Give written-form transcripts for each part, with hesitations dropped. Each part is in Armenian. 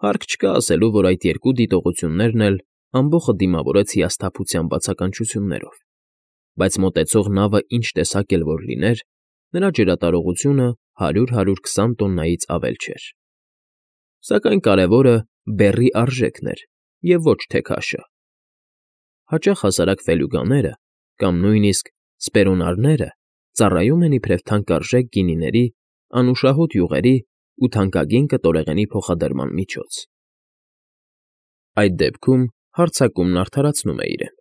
Հարկ չկա ասելու, որ այդ երկու դիտողություններն էլ ամբոխը դիմավորեց հիասթափության բացականչություններով, բայց մոտեցող նավը ինչ տեսակ էլ որ լիներ, նրա ջրատարողությունը 100-120 տոննայից ավել չէր։ Սակայն կարևորը բեռի արժեքն էր և ոչ թե քաշը։ Հաճախ հասարակ ֆելյուգաները կամ նույնիսկ սպերոնարները ծառայում են իբրև թանկարժեք գինիների, անուշահոտ յուղերի ու թանկագին կտորեղենի փոխադրման միջոց։ Այդ դեպքում հարձակումն արդարացնում է իրեն.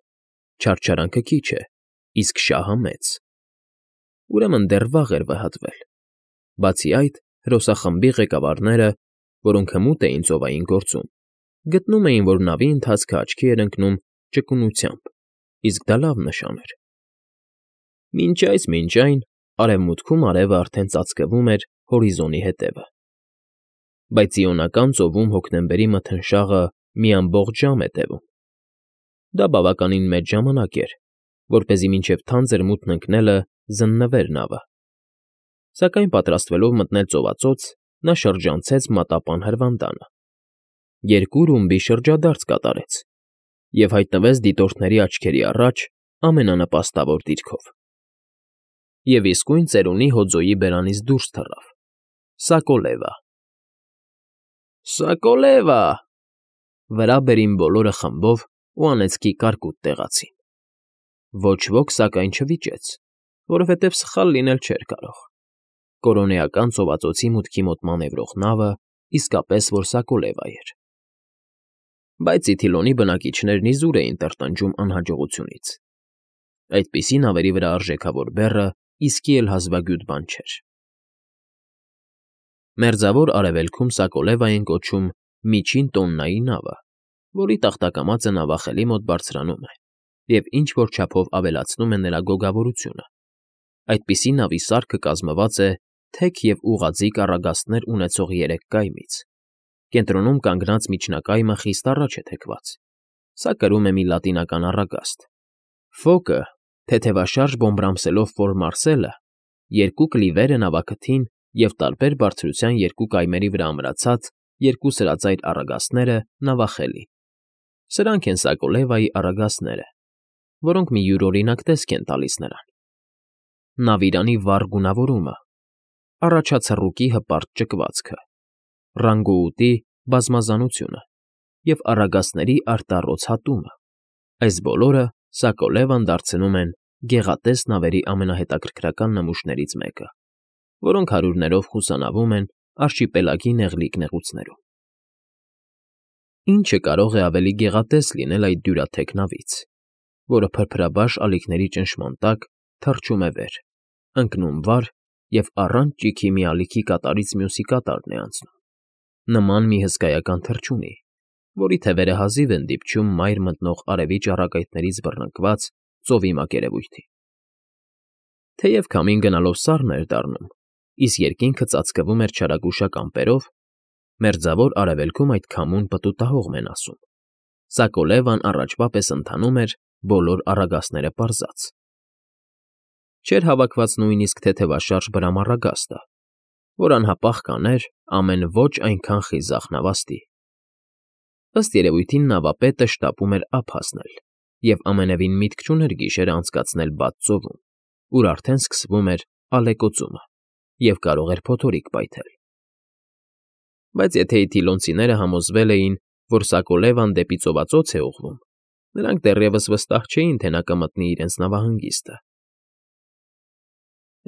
չարչարանքը քիչ է, իսկ շահը մեծ։ Ուրեմն դեռ վաղ էր վհատվել։ Բացի այդ, հրոսախմբի ղեկավարները, որոնք հմուտ էին ծովային գործում, գտնում էին, որ նավի ընթացքը աչքի էր ընկնում ճկունությամբ, իսկ դա լավ նշան էր։ Մինչ այն, արևմուտքում արևը արդեն ծածկվում էր հորիզոնի հետևը։ Բայց Իոնական ծովում հոկտեմբերի մթնշաղը մի ամբողջ ժամ է տևում։ Դա բավականին մեծ ժամանակ էր, որպեսզի մինչև թանձր մութն ընկնելը զննվեր նավը։ Սակայն պատրաստվելով մտնել ծովածոց, նա շրջանցեց մատապան հրվանդանը, երկու ռումբի շրջադարձ կատարեց և հայտնվեց դիտորդների աչքերի առաջ ամենանպաստավոր դիրքով։ Եվ իսկույն ծերունի հոձոյի բերանից դուրս թռավ. Սակոլևա։ Սակոլևա… Վրա բերին բոլորը խմբով ու անեծքի կարկուտ տեղացին։ Ոչ ոք, սակայն, չվիճեց, որովհետև սխալ լինել չէր կարող։ Կորոնեական ծովածոցի մուտքի մոտ մանևրող նավը իսկապես որ Սակոլևա էր։ Բայց Իթիլոնի բնակիչներն իզուր էին տրտնջում անհաջողությունից։ Այդպիսի նավերի վրա արժեքավոր բեռը իսկի էլ հազվագյուտ բան չէր։ Մերձավոր Արևելքում Սակոլևա են կոչում միջին տոննայի նավը, որի տախտակամածը նավախելի մոտ բարձրանում է և ինչ֊որ չափով ավելացնում է նրա գոգավորությունը։ Այդպիսի նավի սարքը կազմված է թեք և ուղղաձիգ առագաստներ ունեցող 3 կայմից։ Կենտրոնում կանգնած միջնակայմը խիստ առաջ է թեքված։ Սա կրում է մի լատինական առագաստ։ Ֆոկը, թեթևաշարժ բոմբրամսելով ֆոր-մարսելը, երկու կլիվեր է նավաքթին և տարբեր բարձրության երկու կայմերի վրա ամրացած երկու սրածայր առագաստները նավախելի։ Սրանք են Սակոլևայի առագաստները, որոնք մի յուրօրինակ տեսք են տալիս նրան. նավիրանի վառ գունավորումը, առաջացռուկի հպարտ ճկվածքը, ռանգոուտի բազմազանությունը և առագաստների արտառոց հատումը։ Այս բոլորը Սակոլևան դարձնում են գեղատես նավերի ամենահետաքրքրական նմուշներից մեկը, որոնք հարյուրներով խուսանավում են արշիպելագի նեղլիկ նեղուցներում։ Ինչը կարող է ավելի գեղատես լինել այդ դյուրաթեք նավից, որը փրփրաբաշ ալիքների ճնշման տակ թռչում է վեր, ընկնում վար և առանց ճիգի մի ալիքի կատարից մյուսի կատարն է անցնում, նման մի հսկայական թռչունի, որի թևերը հազիվ են դիպչում մայր մտնող արևի ճառագայթներից բռնկված ծովի մակերևույթին։ Թեև քամին գնալով սառն էր դառնում, իսկ երկինքը ծածկվում էր չարագուշակ ամպերով, Մերձավոր Արևելքում այդ քամուն պտուտահողմ են ասում։ Սակոլևան առաջվա պես ընթանում էր բոլոր առագաստները պարզած։ Չէր հավաքված նույնիսկ թեթևաշարժ բրամառագաստը, որ անհապաղ կաներ ամեն ոչ այնքան խիզախ նավաստի։ Ըստ երևույթին նավապետը շտապում էր ափ հասնել և ամենևին միտք չուներ գիշերը անցկացնել բաց ծովում, ուր արդեն սկսվում էր ալեկոծումը և կարող էր փոթորիկ պայթել։ Բայց եթե իթիլոնցիները համոզվել էին, որ Սակոլևան դեպի ծովածոց է ուղղվում, նրանք դեռևս վստահ չէին, թե նա կմտնի իրենց նավահանգիստը։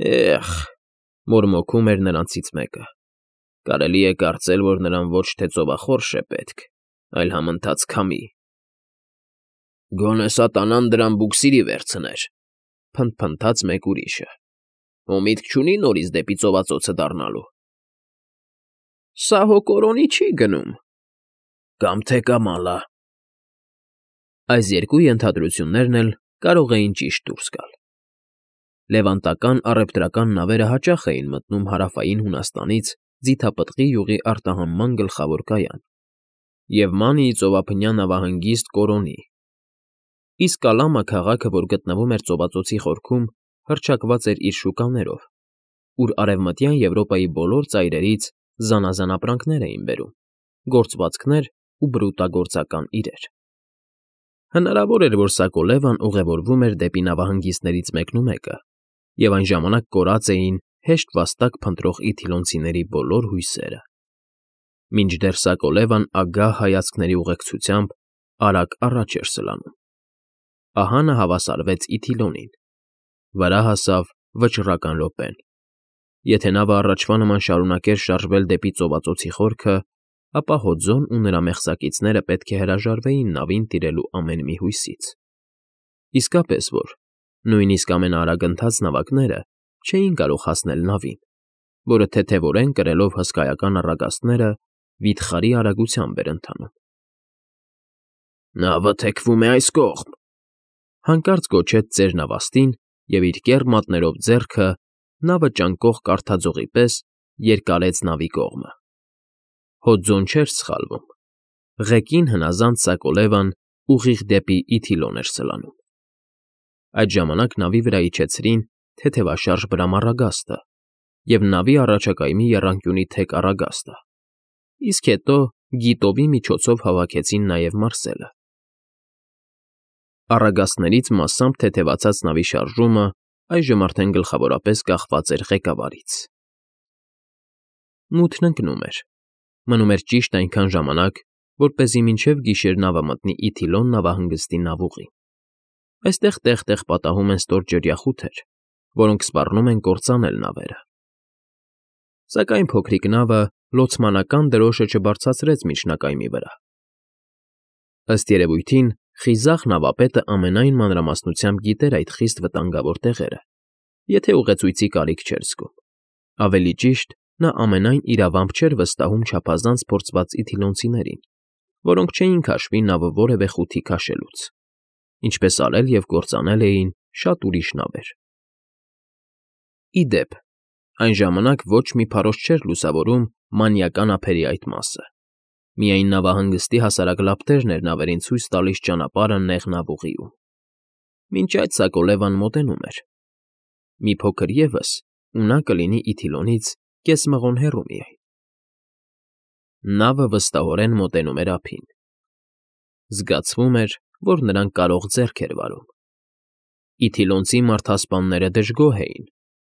Էխ… մորմոքում էր նրանցից մեկը։ Կարելի է կարծել, որ նրան ոչ թե ծովախորշ է պետք, այլ համընթաց քամի։ Գոնե սատանան դրան բուքսիրի վերցներ, փնթփնթաց մեկ ուրիշը։ Հո միտք չունի՞ նորից դեպի ծովածոցը դառնալու։ Սա հո կորոնի չի գնում։ Կամ թե կամալա։ Այս երկու ենթադրություններն էլ կարող էին ճիշտ դուրս գալ։ Լևանտական առևտրական նավերը հաճախ էին մտնում Հարավային Հունաստանից Ձիթապտղի յուղի արտահանման գլխավոր կայան և Մանիի ծովափնյա նավահանգիստ Կորոնի, իսկ Կալամա քաղաքը, որ գտնվում էր ծովածոցի խորքում, հռչակված էր իր շուկաներով, ուր Արևմտյան Եվրոպայի բոլոր ծայրերից զանազան ապրանքներ էին բերում։ գործվածքներ ու բրուտագործական իրեր։ Հնարավոր էր, որ Սակոլևան ուղևորվում էր դեպի նավահանգիստներից մեկնումեկը, և այն ժամանակ կորած էին հեշտ վաստակ փնտրող իթիլոնցիների բոլոր հույսերը։ Մինչդեռ Սակոլևան ագահ հայացքների ուղեկցությամբ արագ առաջ էր սլանում։ Ահա նա հավասարվեց Իթիլոնին։ Վրա հասավ վճռական րոպեն։ Եթե նավը առաջվա նման շարունակեր շարժվել դեպի ծովածոցի խորքը, ապա Հոձոն ու նրա մեղսակիցները պետք է հրաժարվեին նավին տիրելու ամեն մի հույսից։ Իսկապես որ, նույնիսկ ամենաարագընթաց նավակները չէին կարող հասնել նավին, որը թեթևորեն կրելով հսկայական առագաստները վիթխարի արագությամբ էր ընթանում։ «Նավը թեքվում է այս կողմ», հանկարծ գոչեց ծերնավաստին և իր կեռ մատներով ձեռքը նավը ճանկող կարթաձողի պես երկարեց նավի կողմը։ Հոձոն չէր սխալվում։ Ղեկին հնազանդ Սակոլևան ուղիղ դեպի Իթիլոն էր սլանում։ Այդ ժամանակ նավի վրա իջեցրին թեթևաշարժ բրամառագաստը և նավի առաջակայմի եռանկյունի թեք առագաստը, իսկ հետո գիտովի միջոցով հավաքեցին նաև Մարսելը։ Առագաստներից մասամբ թեթևացած նավի շարժումը այժմ արդեն գլխավորապես կախված էր ղեկավարից։ Մութն ընկնում էր։ Մնում էր ճիշտ այնքան ժամանակ, որպեսզի մինչև գիշեր նավը մտնի Իթիլոն նավահանգստի նավուղին։ Այստեղ տեղ֊տեղ պատահում են ստորջրյա խութեր, որոնք սպառնում են կործանել նավերը։ Սակայն փոքրիկ նավը լոցմանական դրոշը չբարձրացրեց միջնակայմի վրա։ Ըստ երևույթին, խիզախ նավապետը ամենայն մանրամասնությամբ գիտեր այդ խիստ վտանգավոր տեղերը, եթե ուղեցույցի կարիք չէր զգում։ Ավելի ճիշտ, նա ամենայն իրավամբ չէր վստահում չափազանց փորձված իթիլոնցիներին, որոնք չէին քաշվի նավը որևէ խութի քաշելուց, ինչպես արել և կործանել էին շատ ուրիշ նավեր։ Ի դեպ, այն ժամանակ ոչ մի փարոստ չէր լուսավորում մանիական ափերի այդ մասը։ Միայն նավահանգստի հասարակ լապտերն էր նավերին ցույց տալիս ճանապարհը նեղ նավուղիում։ Մինչ այդ Սակոլևան մոտենում էր։ Մի փոքր ևս, ու նա կլինի Իթիլոնից կես մղոն հեռու միայն։ Նավը վստահորեն մոտենում էր ափին։ Զգացվում էր, որ նրան կարող ձեռք էր վարում։ Իթիլոնցի մարդասպանները դժգոհ էին։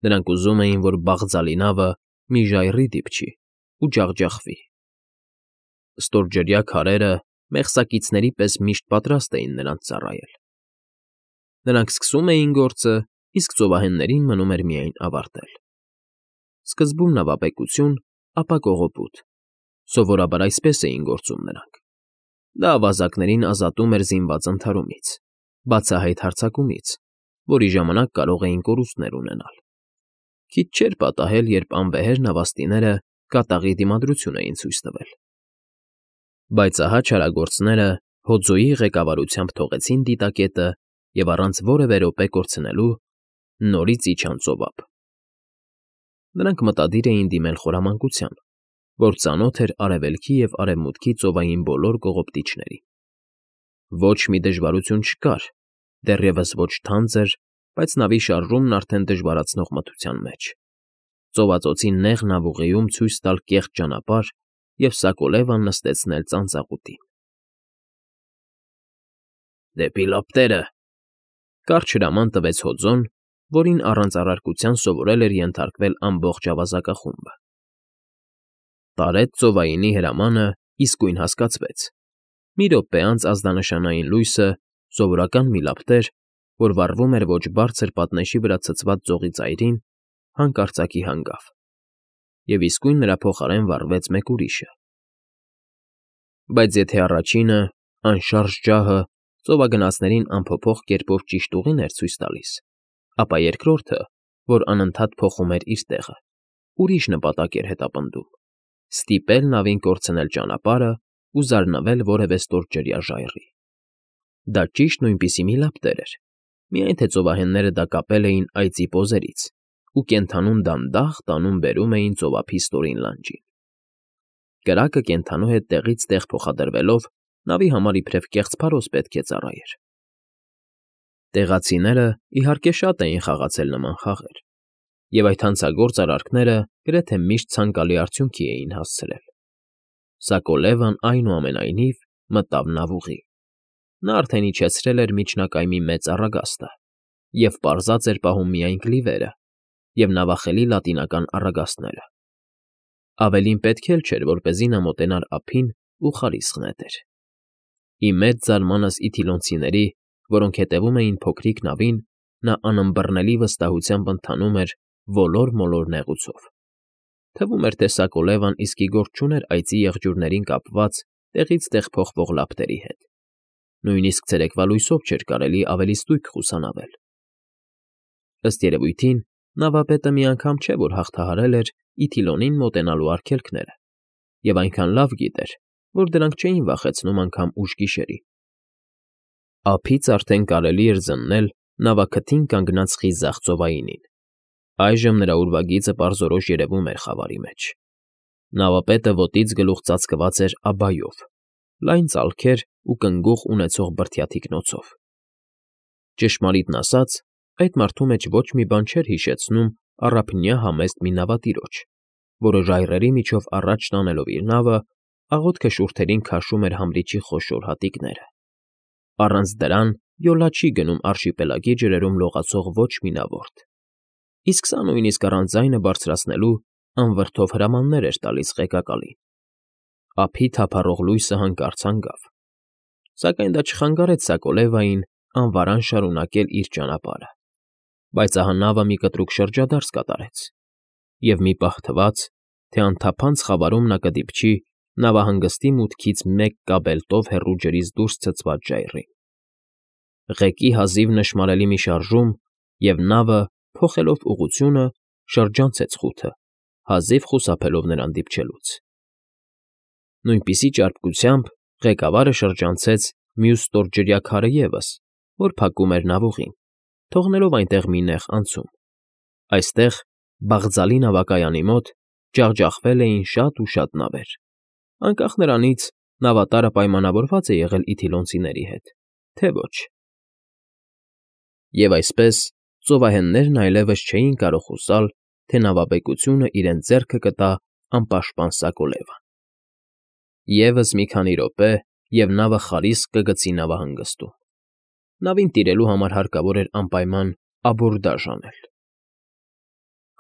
Նրանք ուզում էին, որ բաղձալի նավը մի ժայռի դիպչի ու ջախջախվի։ Ստորջրյա քարերը մեղսակիցների պես միշտ պատրաստ էին նրանց ծառայել։ Նրանք սկսում էին գործը, իսկ ծովահեններին մնում էր միայն ավարտել։ Սկզբում նավապեկություն, ապա կողոպուտ։ Սովորաբար այսպես էին գործում նրանք։ Դա ավազակներին ազատում էր զինված ընդհարումից, բացահայտ հարձակումից, որի ժամանակ կարող էին կորուստներ ունենալ։ Քիչ չէր պատահել, երբ անվեհեր նավաստիները կատաղի դիմադրություն էին ցույց տվել։ Բայց ահա չարագործները Հոձոյի ղեկավարությամբ թողեցին դիտակետը և առանց որևէ րոպե կորցնելու նորից իջան ծովափ։ Նրանք մտադիր էին դիմել խորամանկության, որ ծանոթ էր արևելքի և արևմուտքի ծովային բոլոր կողոպտիչներին։ Ոչ մի դժվարություն չկար, դեռևս ոչ թանձր, բայց նավի շարժումն արդեն դժվարացնող մթության մեջ։ Ծովածոցի նեղ նավուղիում ցույց տալ կեղծ ճանապարհ և Սակոլևան նստեցնել ծանծաղուտին։ «Դեպի լապտերը», կարճ հրաման տվեց Հոձոն, որին առանց առարկության սովորել էր ենթարկվել ամբողջ ավազակախումբը։ Տարեց ծովայինի հրամանը իսկույն հասկացվեց։ Մի րոպե անց ազդանշանային լույսը, սովորական մի լապտեր, որ վառվում էր ոչ բարձր պատնեշի վրա ցցված ձողի ծայրին, հանկարծակի հանգավ, և իսկույն նրա փոխարեն վառվեց մեկ ուրիշը։ Բայց եթե առաջինը, անշարժ ջահը, ծովագնացներին անփոփոխ կերպով ճիշտ ուղին էր ցույց տալիս, ապա երկրորդը, որ անընդհատ փոխում էր իր տեղը, ուրիշ նպատակ էր հետապնդում՝ ստիպել նավին կորցնել ճանապարհը ու զարնվել որևէ ստորջրյա ժայռի։ Դա ճիշտ նույնպիսի մի լապտեր էր, միայն թե ծովահենները դա կապել էին այծի պոզերից ու կենդանուն դանդաղ տանում֊բերում էին ծովափի ստորին լանջին։ Կրակը կենդանու հետ տեղից տեղ փոխադրվելով նավի համար իբրև կեղծ փարոս պետք է ծառայեր։ Տեղացիները, իհարկե, շատ էին խաղացել նման խաղեր, և այդ հանցագործ արարքները գրեթե միշտ ցանկալի արդյունքի էին հասցրել։ Սակոլևան այնուամենայնիվ մտավ նավուղի։ Նա արդեն իջեցրել էր միջնակայմի մեծ առագաստը և պարզած էր պահում միայն կլիվերը և նավախելի լատինական առագաստները։ Ավելին պետք էլ չէր, որպեսզի նա մոտենար ափին ու խարիսկ նետեր։ Ի մեծ զարմանս իթիլոնցիների, որոնք հետևում էին փոքրիկ նավին, նա անըմբռնելի վստահությամբ ընթանում էր ոլոր֊մոլոր նեղուցով։ Թվում էր, թե Սակոլևան իսկի գործ չուներ այծի եղջյուրներին կապված տեղից տեղ փոխվող լապտերի հետ։ Նույնիսկ ցերեկվա լույսով չէր կարելի ավելի ստույգ խուսանավել։ Ըստ երևույթին, նավապետը մի անգամ չէ, որ հաղթահարել էր Իթիլոնին մոտենալու արգելքները, և այնքան լավ գիտեր, որ դրանք չէին վախեցնում անգամ ուշ գիշերին։ Ափից արդեն կարելի էր զննել նավաքթին կանգնած խիզախ ծովայինին։ Այժմ նրա ուրվագիծը պարզորոշ երևում էր խավարի մեջ։ Նավապետը ոտից գլուխ ծածկված էր աբայով, լայն ծալքեր ու կնգուղ ունեցող բրդյա թիկնոցով։ Ճշմարիտն ասած, այդ մարդու մեջ ոչ մի բան չէր հիշեցնում առափնյա համեստ մի նավատիրոջ, որը ժայռերի միջով առաջ տանելով իր նավը, աղոթքը շուրթերին քաշում էր համրիչի խոշոր հատիկները։ Առանց դրան յոլա չի գնում արշիպելագի ջրերում լողացող ոչ մի նավորդ, իսկ սա նույնիսկ առանց ձայնը բարձրացնելու անվրդով հրամաններ էր տալիս ղեկակալին։ Ափի թափառող լույսը հանկարծ հանգավ, սակայն դա չխանգարեց Սակոլևային անվարան շարունակել իր ճանապարհը, բայց ահա նավը մի կտրուկ շրջադարձ կատարեց, և մի պահ թվաց, թե անթափանց խավարում նա կդիպչի նավահանգստի մուտքից մեկ կաբելտով հեռու ջրից դուրս ցցված ժայռին։ Ղեկի հազիվ նշմարելի մի շարժում, և նավը, փոխելով ուղղությունը, շրջանցեց խութը, հազիվ խուսափելով նրան դիպչելուց։ Նույնպիսի ճարպկությամբ ղեկավարը շրջանցեց մյուս ստորջրյա քարը ևս, որ փակում էր նավուղին, թողնելով այնտեղ մի նեղ անցում։ Այստեղ, բաղձալի նավակայանի մոտ, ջախջախվել էին շատ ու շատ նավեր, անկախ նրանից նավատարը պայմանավորված է եղել իթիլոնցիների հետ, թե ոչ։ Եվ այսպես, ծովահեններն այլևս չէին կարող հուսալ, թե նավաբեկությունը իրենց ձեռքը կտա անպաշտպան Սակոլևան։ Եվս մի քանի րոպե, և նավը խարիսկ կգցի նավահանգստում։ Նավին տիրելու համար հարկավոր էր անպայման աբորդաժ անել։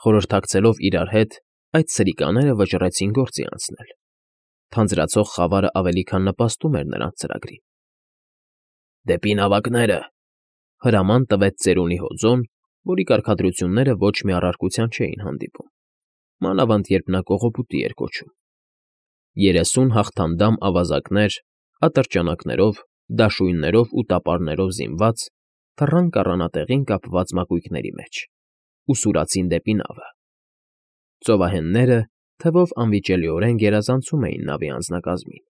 Խորհրդակցելով իրար հետ, այդ սրիկաները վճռեցին գործի անցնել։ Թանձրացող խավարը ավելի քան նպաստում էր նրանց ծրագրին։ «Դեպի նավակները», հրաման տվեց ծերունի հոձոն, որի կարգադրությունները ոչ մի առարկության չէին հանդիպում, մանավանդ երբ նա կողոպուտի էր կոչում։ 30 հաղթանդամ ավազակներ, ատրճանակներով, դաշույններով ու տապարներով զինված, թռան կառանատեղին կապված մակույկների մեջ ու սուրացին դեպի նավը։ Ծովահենները թվով անվիճելիորեն գերազանցում էին նավի անձնակազմին։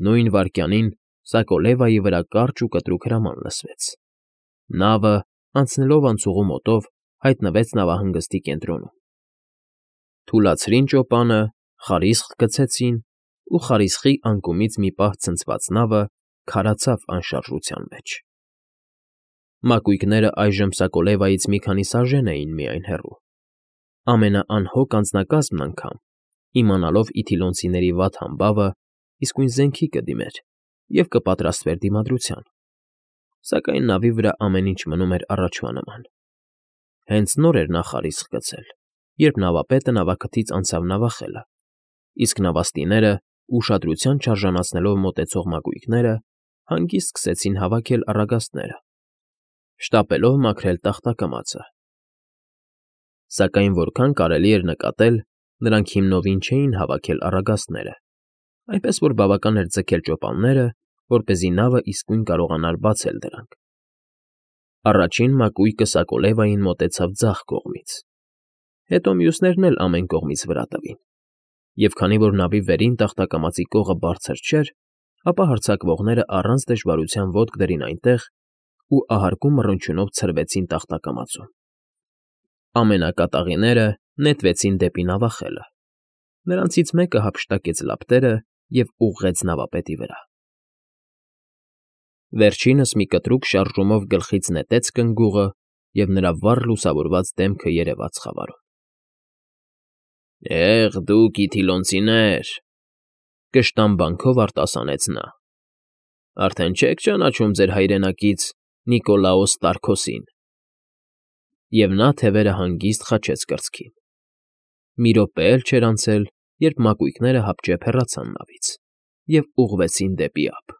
Նույն վայրկյանին Սակոլևայի վրա կարճ ու կտրուկ հրաման լսվեց։ Նավը, անցնելով անցուղու մոտով, հայտնվեց նավահանգստի կենտրոնում։ Թուլացրին ճոպանը, խարիսկ գցեցին, ու խարիսկի անկումից մի պահ ցնցված նավը քարացավ անշարժության մեջ։ Մակույկները այժմ Սակոլևայից մի քանի սաժեն էին միայն հեռու։ Ամենաանհոգ անձնակազմն անգամ, իմանալով իթիլոնցիների վատ համբավը, իսկույն զենքի կդիմեր և կպատրաստվեր դիմադրության, սակայն նավի վրա ամեն ինչ մնում էր առաջվա նման։ Հենց նոր էր նա խարիսկ գցել, երբ նավապետը նավաքթից անցավ նավախելը, իսկ նավաստիները, ուշադրության չարժանացնելով մոտեցող մակույկները, հանգիստ սկսեցին հավաքել առագաստները, շտապելով մաքրել տախտակամածը։ Սակայն որքան կարելի էր նկատել, նրանք հիմնովին չէին հավաքել առագաստները, այնպես որ բավական էր ձգել ճոպանները, որպեսզի նավը իսկույն կարողանար բացել դրանք։ Առաջին մակույկը Սակոլևային մոտեցավ ձախ կողմից, հետո մյուսներն էլ ամեն կողմից վրա տվին, և քանի որ նավի վերին տախտակամածի կողը բարձր չէր, ապա հարձակվողները առանց դժվարության ոտք դրին այնտեղ ու ահարկու մռնչյունով ցրվեցին տախտակամածում։ Ամենակատաղիները նետվեցին դեպի նավախելը։ Նրանցից մեկը հափշտակեց լապտերը և ուղղեց նավապետի վրա։ Վերջինս մի կտրուկ շարժումով գլխից նետեց կնգուղը, և նրա վառ լուսավորված դեմքը երևաց խավարում։ «Դուք իթիլոնցիներ,֊ Կշտամբանքով արտասանեց նա։ Արդեն չեք ճանաչում ձեր հայրենակից Նիկոլաոս Տարքոսին։ Եվ նա թևերը հանգիստ խաչեց կրծքին։ Մի րոպե էլ չէր անցել, երբ մակույկները հապճեպ հեռացան նավից և ուղղվեցին դեպի ափ։